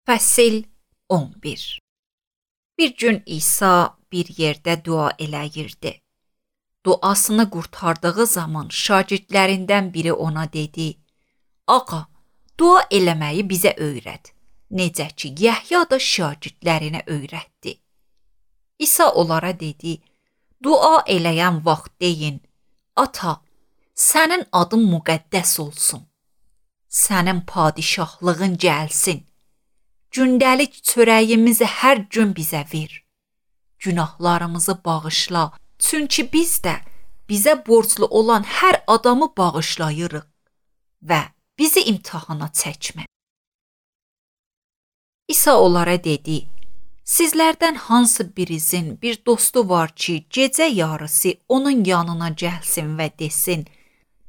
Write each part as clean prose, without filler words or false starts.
Fəsil 11. Bir gün İsa bir yerdə dua eləyirdi. Duasını qurtardığı zaman şagirdlərindən biri ona dedi: "Ağa, dua eləməyi bizə öyrət." Necə ki, Yəhya da şagirdlərinə öyrətdi. İsa onlara dedi: "Dua eləyən vaxt deyin: Ata, sənin adın müqəddəs olsun. Sənin padişahlığın gəlsin. Gündəlik çörəyimizi hər gün bizə ver. Günahlarımızı bağışla, çünki biz də bizə borclu olan hər adamı bağışlayırıq və bizi imtahana çəkmə." İsa onlara dedi: "Sizlərdən hansı birinizin bir dostu var ki, gecə yarısı onun yanına gəlsin və desin: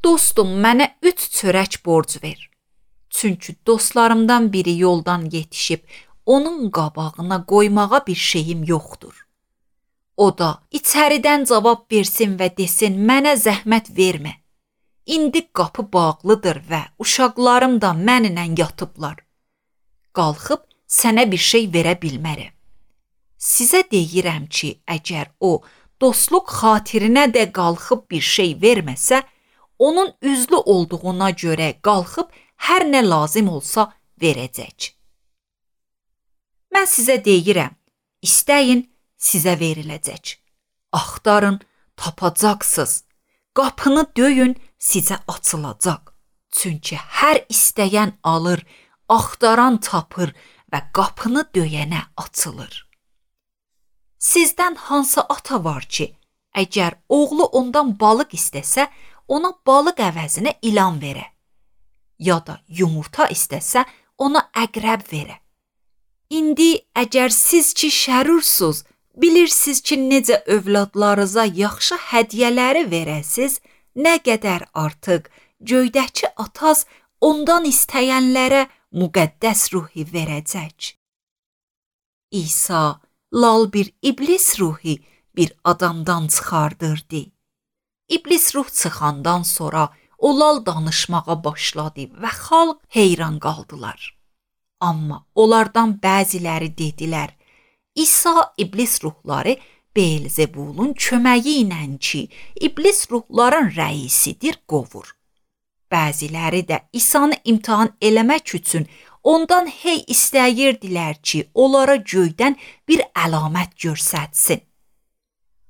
Dostum, mənə 3 çörək borc ver. Çünki dostlarımdan biri yoldan yetişib, onun qabağına qoymağa bir şeyim yoxdur. O da içəridən cavab versin və desin: Mənə zəhmət vermə. İndi qapı bağlıdır və uşaqlarım da mənimlə yatıblar. Qalxıb sənə bir şey verə bilmərəm. Sizə deyirəm ki, əgər o dostluq xatirinə də qalxıb bir şey verməsə, onun üzlü olduğuna görə qalxıb hər nə lazım olsa verəcək. Mən sizə deyirəm, istəyin, sizə veriləcək. Axtarın, tapacaqsınız. Qapını döyün, sizə açılacaq. Çünki hər istəyən alır, axtaran tapır və qapını döyənə açılır. Sizdən hansı ata var ki, əgər oğlu ondan balıq istəsə, ona balıq əvəzinə ilan verə? Ya da yumurta istəsə, ona əqrəb verə? İndi əgər siz ki şərursuz, bilirsiniz ki, necə övladlarınıza yaxşı hədiyyələri verəsiz, nə qədər artıq göydəki ataz ondan istəyənlərə müqəddəs ruhi verəcək." İsa lal bir iblis ruhi bir adamdan çıxardırdı. İblis ruh çıxandan sonra o lal danışmağa başladı və xalq heyran qaldılar. Amma onlardan bəziləri dedilər: İsa iblis ruhları Beelzebulun köməyi ilə ki, iblis ruhların rəisidir, qovur. Bəziləri də İsanı imtahan eləmək üçün ondan hey istəyirdilər ki, onlara göydən bir əlamət göstərsin.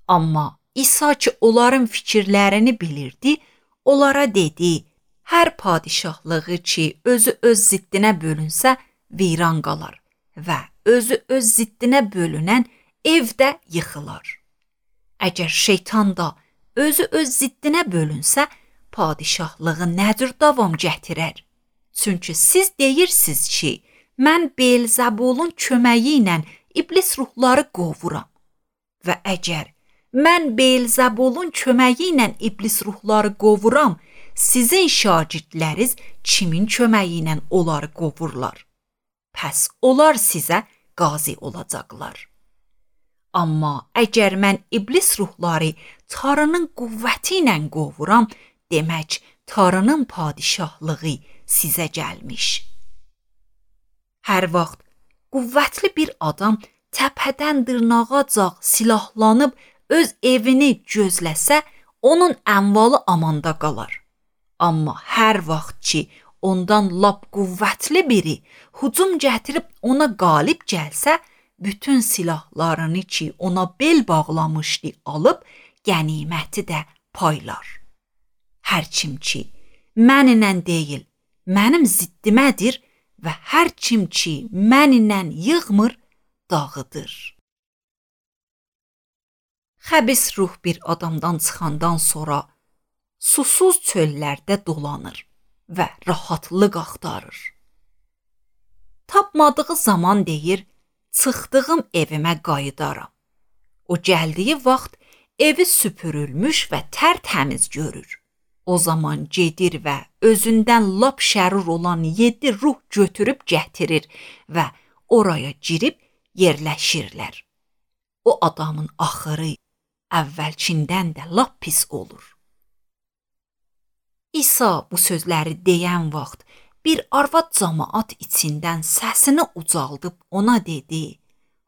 Amma İsa ki, onların fikirlərini bilirdi, onlara dedi: Hər padişahlığı ki, özü öz ziddinə bölünsə, viran qalar və özü öz ziddinə bölünən evdə yıxılar. Əgər şeytan da özü öz ziddinə bölünsə, padişahlığı nə cür davam gətirər? Çünki siz deyirsiniz ki, mən Beelzebulun köməyi ilə iblis ruhları qovuram. Və əgər mən Beelzebulun köməyi ilə iblis ruhları qovuram, sizin şagirdləriniz kimin köməyi ilə onları qovurlar? Pəs onlar sizə qazi olacaqlar. Amma əgər mən iblis ruhları Tanrının qüvvəti ilə qovuram, demək Tanrının padişahlığı sizə gəlmiş. Hər vaxt qüvvətli bir adam təpədən dırnağacaq silahlanıb öz evini gözləsə, onun əmvalı amanda qalar. Amma hər vaxt ki, ondan lap qüvvətli biri hücum gətirib ona qalib gəlsə, bütün silahlarını ki ona bel bağlamışdı alıb, qəniməti də paylar. Hər kim ki mənimlə deyil, mənim ziddimədir və hər kim ki mənimlə yığmır, dağıdır. Xəbis ruh bir adamdan çıxandan sonra susuz çöllərdə dolanır və rahatlıq axtarır. Tapmadığı zaman deyir: Çıxdığım evimə qayıdaram. O gəldiyi vaxt evi süpürülmüş və tərtəmiz görür. O zaman gedir və özündən lap şərur olan 7 ruh götürüb gətirir və oraya girib yerləşirlər. O adamın axırı əvvəlkindən də lap pis olur. İsa bu sözləri deyən vaxt bir arvad camaat içindən səsini ucaldıb ona dedi: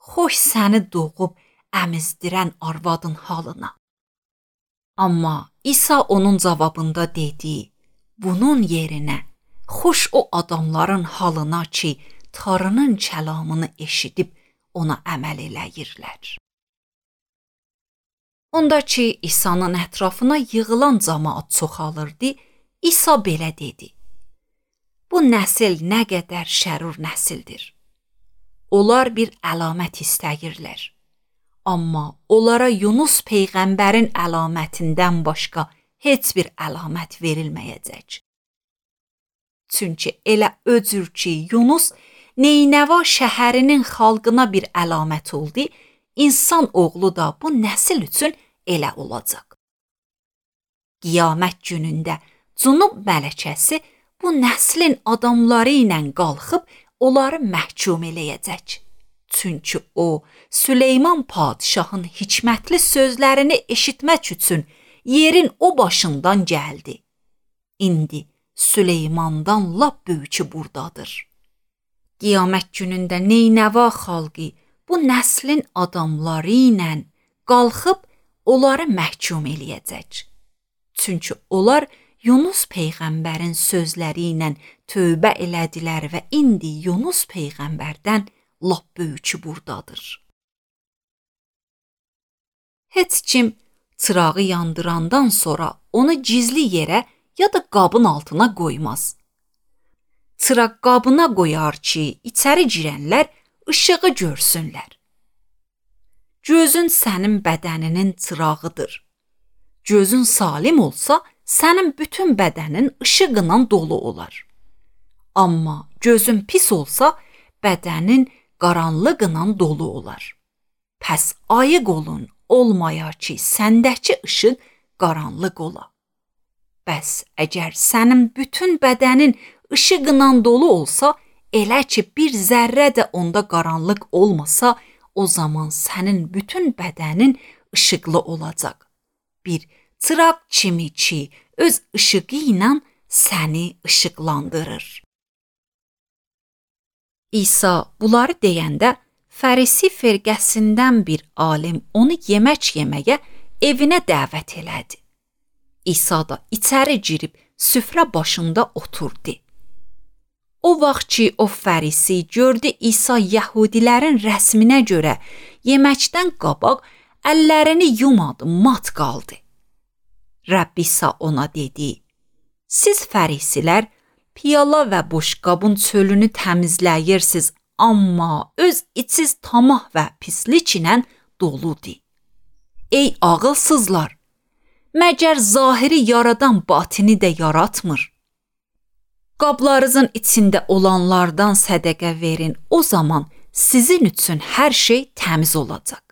"Xoş səni doğub əmizdirən arvadın halına." Amma İsa onun cavabında dedi: "Bunun yerinə xoş o adamların halına ki, Tanrının kəlamını eşidib ona əməl eləyirlər." Ondakı İsa'nın ətrafına yığılan camaat çoxalırdı. İsa belə dedi: "Bu nəsil nə qədər şərur nəsildir. Onlar bir əlamət istəyirlər. Amma onlara Yunus peyğəmbərin əlamətindən başqa heç bir əlamət verilməyəcək. Çünki elə öcür ki, Yunus Neynəva şəhərinin xalqına bir əlamət oldu, insan oğlu da bu nəsil üçün elə olacaq. Qiyamət günündə Cünub mələkəsi bu nəslin adamları ilə qalxıb onları məhkum eləyəcək. Çünki o, Süleyman padişahın hikmətli sözlərini eşitmək üçün yerin o başından gəldi. İndi Süleymandan lap böyükü buradadır. Qiyamət günündə Neynəva xalqı bu nəslin adamları ilə qalxıb onları məhkum eləyəcək. Çünki onlar Yunus peyğəmbərin sözləri ilə tövbə elədilər və indi Yunus peyğəmbərdən lap böyükü buradadır. Heç kim çırağı yandırandan sonra onu gizli yerə ya da qabın altına qoymaz. Çıraq qabına qoyar ki, içəri girənlər işığı görsünlər. Gözün sənin bədəninin çırağıdır. Gözün salim olsa, sənin bütün bədənin işıqla dolu olar. Amma gözün pis olsa, bədənin qaranlıqla dolu olar. Pəs ayıq olun, olmaya ki, səndəki işıq qaranlıq ola. Bəs əgər sənin bütün bədənin işıqla dolu olsa, elə ki bir zərrə də onda qaranlıq olmasa, o zaman sənin bütün bədənin işıqlı olacaq. Bir çıraq kimi ki, öz işığı ilə səni işıqlandırır. İsa bunları deyəndə, Fərisi firqəsindən bir alim onu yemək yeməyə evinə dəvət elədi. İsa da içəri girib süfrə başında oturdu. O vaxt ki, o Fərisi gördü İsa Yəhudilərin rəsminə görə yeməkdən qabaq əllərini yumadı, mat qaldı. Rəbb İsa ona dedi: "Siz Fərisilər piyala və boşqabın çölünü təmizləyirsiniz, amma öz içiniz tamah və pislik ilə doludur. Ey ağılsızlar, məgər zahiri yaradan batini də yaratmır? Qablarınızın içində olanlardan sədəqə verin, o zaman sizin üçün hər şey təmiz olacaq.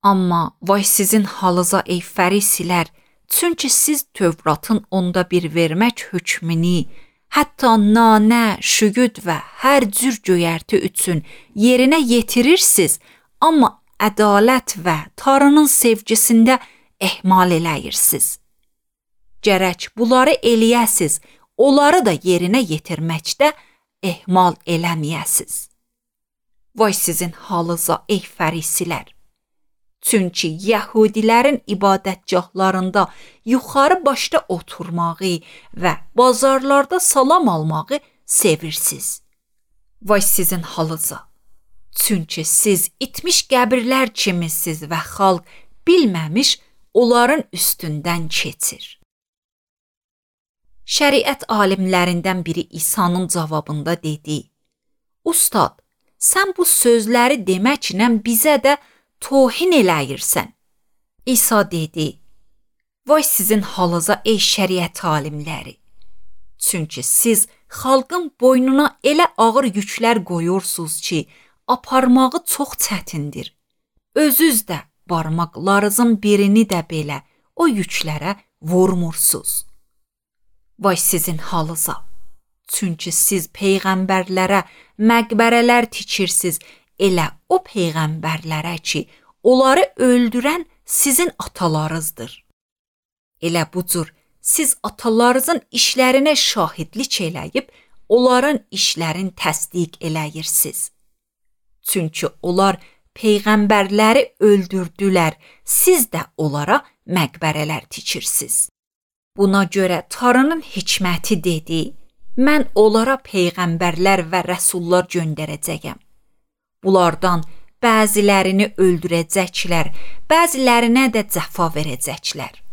Amma vay sizin halınıza ey Fərisilər, çünki siz Tövratın onda bir vermək hökmünü, hətta nanə, şügüd və hər cür göyərti üçün yerinə yetirirsiniz, amma ədalət və Tanrının sevgisində ehmal eləyirsiniz. Gərək bunları eləyəsiz, onları da yerinə yetirməkdə ehmal eləməyəsiz. Vay sizin halınıza ey Fərisilər! Çünki Yəhudilərin ibadətgahlarında yuxarı başda oturmağı və bazarlarda salam almağı sevirsiniz. Vay sizin halınıza! Çünki siz itmiş qəbirlər kimisiniz və xalq bilməmiş onların üstündən keçir. Şəriət alimlərindən biri İsa'nın cavabında dedi: "Ustad, sən bu sözləri deməklə bizə də tohin eləyirsən." İsa dedi: "Vay sizin halınıza ey şəriət alimləri! Çünki siz xalqın boynuna elə ağır yüklər qoyursunuz ki, aparmağı çox çətindir. Özünüz də barmaqlarınızın birini də belə o yüklərə vurmursunuz. Vay sizin halınıza! Çünki siz peyğəmbərlərə məqbərələr tikirsiniz, elə o peyğəmbərlərə ki, onları öldürən sizin atalarınızdır. Elə bu cür siz atalarınızın işlərinə şahidlik eləyib, onların işlərini təsdiq eləyirsiniz. Çünki onlar peyğəmbərləri öldürdülər, siz də onlara məqbərələr tikirsiniz. Buna görə Tanrının hikməti dedi, mən onlara peyğəmbərlər və rəsullar göndərəcəyəm. Bunlardan bəzilərini öldürəcəklər, bəzilərinə də cəfa verəcəklər.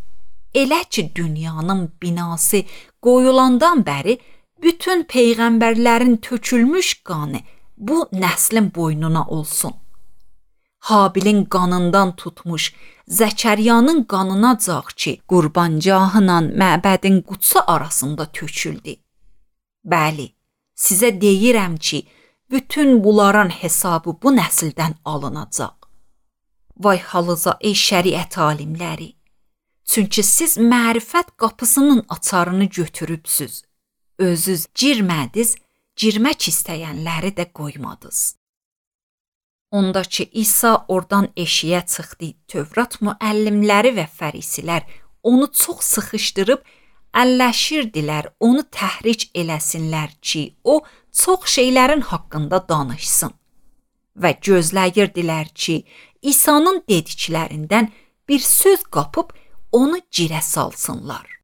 Elə ki, dünyanın binası qoyulandan bəri bütün peyğəmbərlərin tökülmüş qanı bu nəslin boynuna olsun. Habilin qanından tutmuş Zəkəryanın qanınacaq ki, qurbancahla məbədin qutsu arasında töküldü. Bəli, sizə deyirəm ki, bütün bunların hesabı bu nəsildən alınacaq. Vay halınıza ey şəriət alimləri! Çünki siz mərifət qapısının açarını götürübsüz. Özünüz girmədiz, girmək istəyənləri də qoymadınız. Ondakı İsa oradan eşiyə çıxdı. Tövrat müəllimləri və fərisilər onu çox sıxışdırıb əlləşirdilər, onu təhric eləsinlər ki, o çox şeylərin haqqında danışsın. Və gözləyirdilər ki, İsa'nın dediklərindən bir söz qapıb onu girə salsınlar.